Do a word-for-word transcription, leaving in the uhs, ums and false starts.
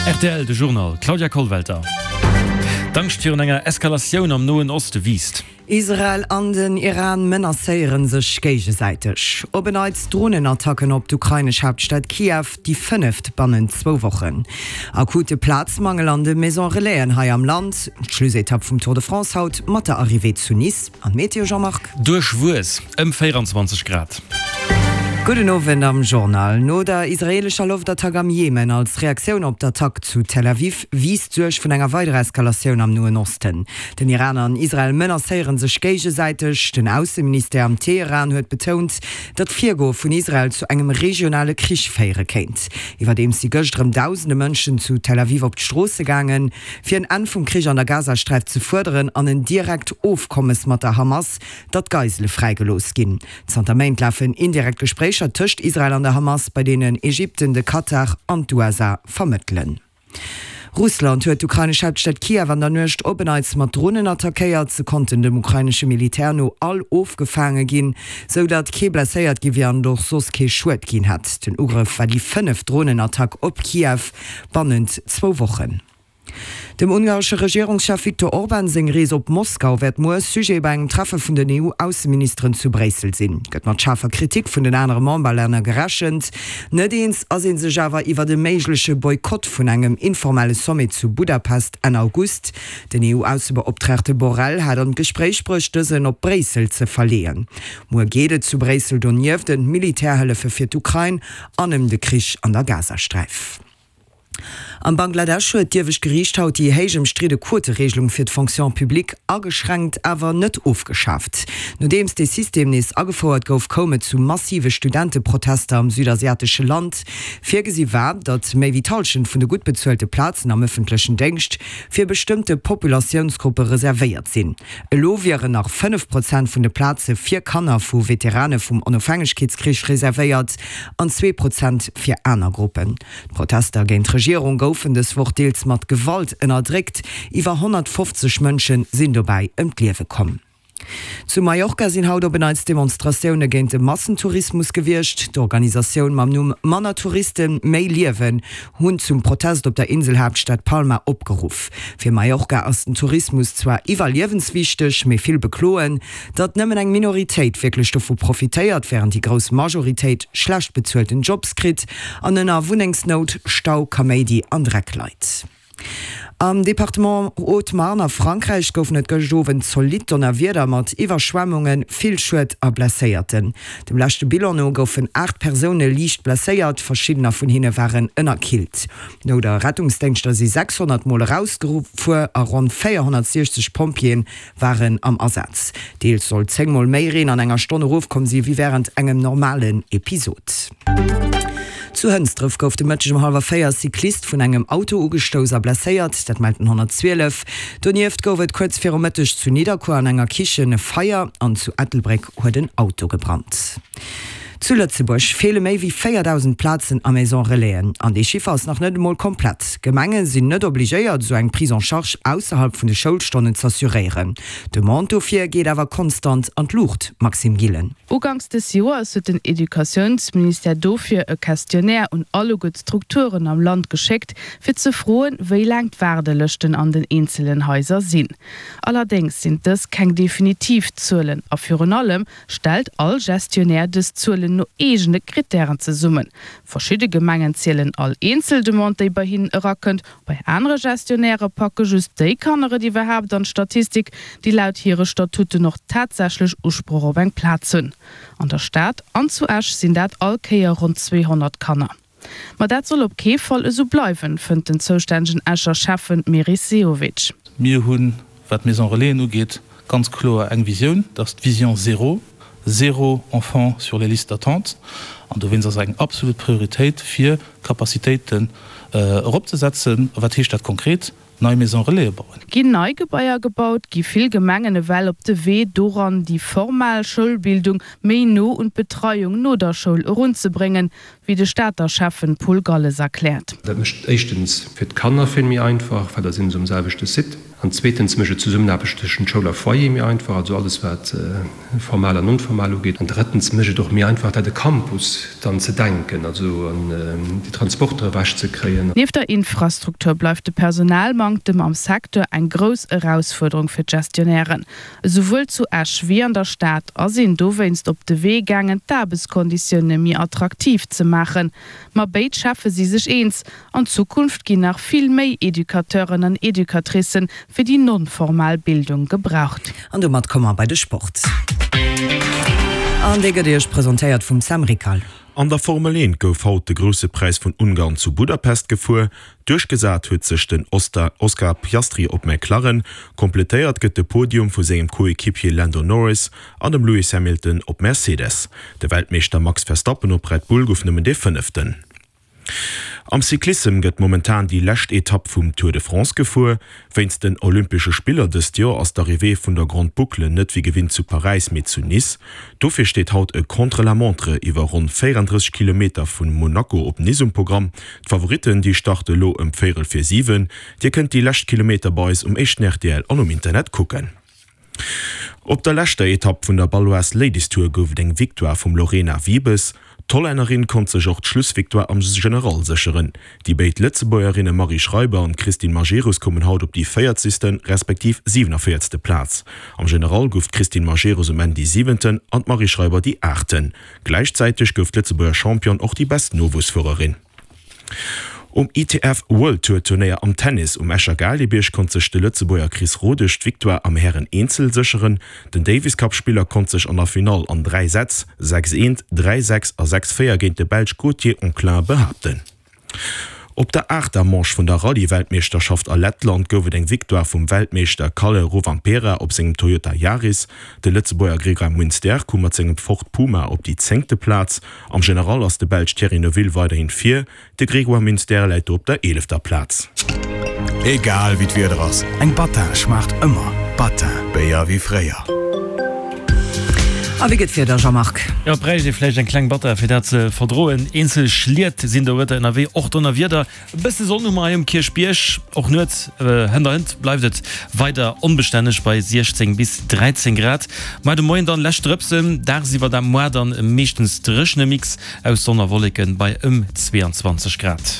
Rtl, De Journal, Claudia Kollwelter. D'Angscht virun enger Eskalatioun am Noen Oste wiisst. Israel an den Iran menacéiere sech géigesäiteg. Op en Neits Dronenattacken op d'ukrainesch Haaptstad Kiew, déi fënneft bannent zwou Wochen. Akute Plazmangel an de Maison Relaisen hei am Land. D'Schlussetapp vum Tour de France haut mat der Arrivée zu Nice. An d'Meteo, Jean-Marc? Duerchwuess, ëm véieranzwanzeg Grad. Gudden Owend am Journal. No der israeelescher Loftattack am Jemen als Reaktioun op d'Attack zu Tel Aviv wiisst d'Suerg vun enger weiderer Eskalatioun am Noen Osten. Den Iran an Israel menacéiere sech géigesäiteg. Den Ausseministère am Teheran huet betount, datt d'Virgoe vun Israel zu engem regionale Krich féiere kéint. Iwwerdeems si gëscht erëm dausende Mënschen zu Tel Aviv op d'Stroosse gaangen, fir en Enn vum Krich an der Gazasträif ze fuerderen an en direkt Ofkommes mat der Hamas, datt d'Geisele fräigelooss ginn. Zanter Méint lafen indirekt Gespréicher tëscht Israel an der Hamas, bei deenen Ägypten, de Katar an d'USA vermëttelen. Russland huet d'ukrainesch Haaptstad Kiew an der Nuecht op en Neits mat Dronen attackéiert. Se konnten dem ukrainesche Militär no all ofgefaange ginn, sou datt kee blesséiert gi wier an et och soss kee Schued ginn hätt. Den Ugrëff war déi fënneft Dronenattack op Kiew bannent zwou Wochen. Dem ungaresche Regierungschef Viktor Orban seng Rees op Moskau wäert muer Sujet bei engem Treffe vun den E U-Ausseministeren zu Bréissel sinn. Gëtt mat schaarfer Kritik vun den anere Memberlänner gerechent. Net eens ass ee sech awer iwwert e méigleche Boykott vun engem informelle Sommet zu Budapest Enn August. Den E U-Aussebeoptraagte Borrell hat an d'Gespréich bruecht, dësen op Bréissel ze verleeën. Muer geet et zu Bréissel donieft ëm d'Militärhëllefe fir d'Ukrain an ëm de Krich an der Gazasträif. Am Bangladesch huet d'iewescht Geriicht haut déi héich ëmstridde Quotereegelung fir d'Fonction publique ageschränkt, awer net ofgeschaaft. Nodeems dee System nees agefouert gouf, koum et zu massive Studenteprotester am südasiatesche Land. Virgesi war, datt méi wéi d'Hallschent vun de gutt bezuelte Plazen am ëffentlechen Déngscht fir bestëmmte Populatiounsgruppe reservéiert sinn. Elo wieren nach fënnef Prozent vun de Plaze fir Kanner vu Veterane vum Onofhängegkeetskrich reservéiert an zwee Prozent fir aner Gruppen. D'Protester géint d'Regierung goufen dës Woch deels mat Gewalt ënnerdréckt. Iwwer honnertfofzeg Mënsche sinn dobäi ëm d'Liewe komm. Zu Mallorca sinn haut op en Neits Demonstratioune géint de Massentourismus gewiescht. D'Organisatioun mam Numm Manner Touristen, méi Liewen hunn zum Protest op der Inselhaaptstad Palma opgeruff. Fir Mallorca ass den Tourismus zwar iwwerliewenswichteg, mee vill bekloen, datt nëmmen eng Minoritéit wierklech dovu profitéiert, wärend déi grouss Majoritéit schlecht bezuelten Jobs kritt an ënner Wunnengsnout, Stau, Kaméidi an Dreck leit. Am Departement Haute-Marne a Frankräich goufen et gëscht Owend zolidd Donnerwieder mat Iwwerschwemmungen, vill Schued a Blesséierten. Dem leschte Bilan no goufen aacht Persoune liicht blesséiert, verschiddener vun hinne waren ënnerkillt. Nout a Rettungsdéngschter si sechshonnert Mol erausgefuer a ronn véierhonnertsiechzeg Pompjeeë waren am Asaz. Deels soll zéng Mol méi Reen an enger Stonn erofkomm si wéi wärend engem normalen Episod. Zu Hënsdref gouf de Mëtteg um hallwer véier e Cyclist vun engem Auto ugestouss a blesséiert, dat mellt den honnertzwielef. Donieft gouf et kuerz viru Mëtteg zu Nidderkuer an enger Kichen e Feier an zu Ettelbréck huet en Auto gebrannt. Zu Lëtzebuerg feele méi wéi véierdausend Plazen a Maison Relaisen. An dee Chiffer ass nach net emol komplett. Gemenge sinn net obligéiert, esou eng Prise en charge ausserhalb vun de Schoulstonnen z'assuréieren. D'Demande dofir geet awer konstant an d'Luucht, Maxime Gillen. Uganks des Joers huet den Educatiounsministère dofir e Questionnaire un alleguer d'Strukturen am Land geschéckt, fir ze froen, wéi laang d'Waardelëschten an den eenzelen Haiser sinn. Allerdéngs sinn dës keng definitiv Zuelen a virun allem stellt all Gestionnaire dës Zuelen no eegene Krittären zesummen. Verschidde Gemengen zielen all eenzel Demande, déi bei hinnen erakënnt, bei anere Gestionnairë packe just déi Kanner et iwwerhaapt an d'Statistik, déi laut hire Statuten och tatsächlech Usproch op eng Plaz hunn. An der Stad an zu Esch sinn dat all Kéier ronn zweehonnert Kanner. Ma dat soll op kee Fall esou bleiwen, fënnt den zoustännegen Escher Schäffen Meris Sehovic. Mir hunn, wat d'Maison Relaisen ugeet, ganz kloer eng Visioun, dat ass d'Vision zéro, zéro enfant sur les listes d'attente. An dowéinst ass et eng absolut Prioritéit, fir Capacitéiten eropzesetzen. A wat heescht dat konkret? Nei Maison Relaisen bauen. Ginn nei Gebaier gebaut, gi vill Gemengen ewell op de Wee doran, déi formal Schoulbildung méi no un d'Betreiung no der Schoul erunzebréngen, wéi de Stater Schäffen Paul Galles erkläert. Dat mécht et éischtens fir d'Kanner vill méi einfach, well da si se um selwechte Site. An zweetens mécht et d'Zesummenaarbecht tëschent Schoul a Foyer méi einfach, also alles wat formal an non-formal ugeet. An drëttens mécht et och méi einfach, dat e Campus dann ze denken, also an déi Transporter ewechzekréien. Nieft der Infrastruktur bleift de Personalmanktem am Secteur eng grouss Erausfuerderung fir d'Gestionnairen. Esouwuel zu Esch wéi an der Stad ass een dowéinst op de Wee gaangen, d'Aarbechtskonditioune méi attraktiv ze maachen. Ma béid Schäffe si sech eens, An Zukunft ginn nach vill méi Educateuren an Educatricen fir déi non-formal Bildung gebraucht. An domat komme mer bei de Sport. An dee gëtt Iech presentéiert vum Sam Rickal. An der Formel eent gouf haut de Grousse Präis vun Ungarn zu Budapest gefuer. Duerchgesat huet sech den Oscar Piastri op McLaren. Kompletéiert gëtt de Podium vu sengem Coequipier Lando Norris an dem Lewis Hamilton op Mercedes. De Weltmeeschter Max Verstappen op Red Bull gouf nëmmen dee Fënneften. Am Cyclissem gëtt momentan déi lescht Etapp vum Tour de France gefuer. Wéinst den Olympesche Spiller dëst Joer ass d'Arrivée vun der Grande Boucle net wéi gewinnt zu Paräis, mee zu Nice. Dofir steet haut e Contre-la-montre iwwer ronn véierandrësseg Kilometer vu Monaco op Nice um Programm. D'Favoritten, déi starte elo ëm véierel vir siwen. Dir kënnt déi lescht Kilometer bei eis um éischten rtl an um Internet kucken. Op der leschter Etapp vun der Baloise Ladies Tour gouf et eng Victoire vum Lorena Wiebes. D'Hollännerin konnt sech och d'Schlussvictoire am General sécheren. Déi béid Lëtzebuergerinne Marie Schreiber an Christine Majerus koumen haut op déi véierzegste respektiv siwenavéierzte Plaz. Am General gouf d'Christine Majerus um Enn déi siwenten an d'Marie Schreiber déi aachten. Gläichzäiteg gouf d'Lëtzebuerger Championne och déi best Nowuessfuererin. Um I T F World Tour Turnéier am Tennis um Escher Gaalgebierg konnt sech de Lëtzebuerger Chris Rodesch d'Victoire am Hären Eenzel sécheren. Den Davis Cup Spiller konnt sech an der Finall an dräi Sätz, sechs eent, dräi sechs a sechs véier géint de Belsch Gauthier Onclin behaapten. Op der aachter Manche vun der Rallye-Weltmeeschterschaft a Lettland gouf et eng Victoire vum Weltmeeschter Kalle Rovanperä op sengem Toyota Yaris. De Lëtzebuerger Grégoire Munster koum mat sengem Ford Puma op déi zéngte Plaz. Am General ass de Belsch Thierry Neuville weiderhin vir, de Grégoire Munster läit do op der eelefter Plaz. Egal wéi d'Wieder ass, eng Battin schmaacht ëmmer. Battin, Béier wéi fréier. A wéi gëtt d'Wieder, Jean-Marc? Jo, et bräicht ee vläicht eng kleng Battin, fir dat ze verdroen. Eenzel Schliet sinn dorëtter ënnerwee, och Donnerwieder. E bësse Sonn hu mer hei um Kierchbierg. Och nuets hënderhënt bleift et weider onbestänneg bei siechzéng bis dräizéng Grad. Mar de Moien dann lescht Drëpsen, dagsiwwer da moar dann e meeschtens dréchene Mix aus Sonn a Wolleken bei ëm zweeanzwanzeg Grad.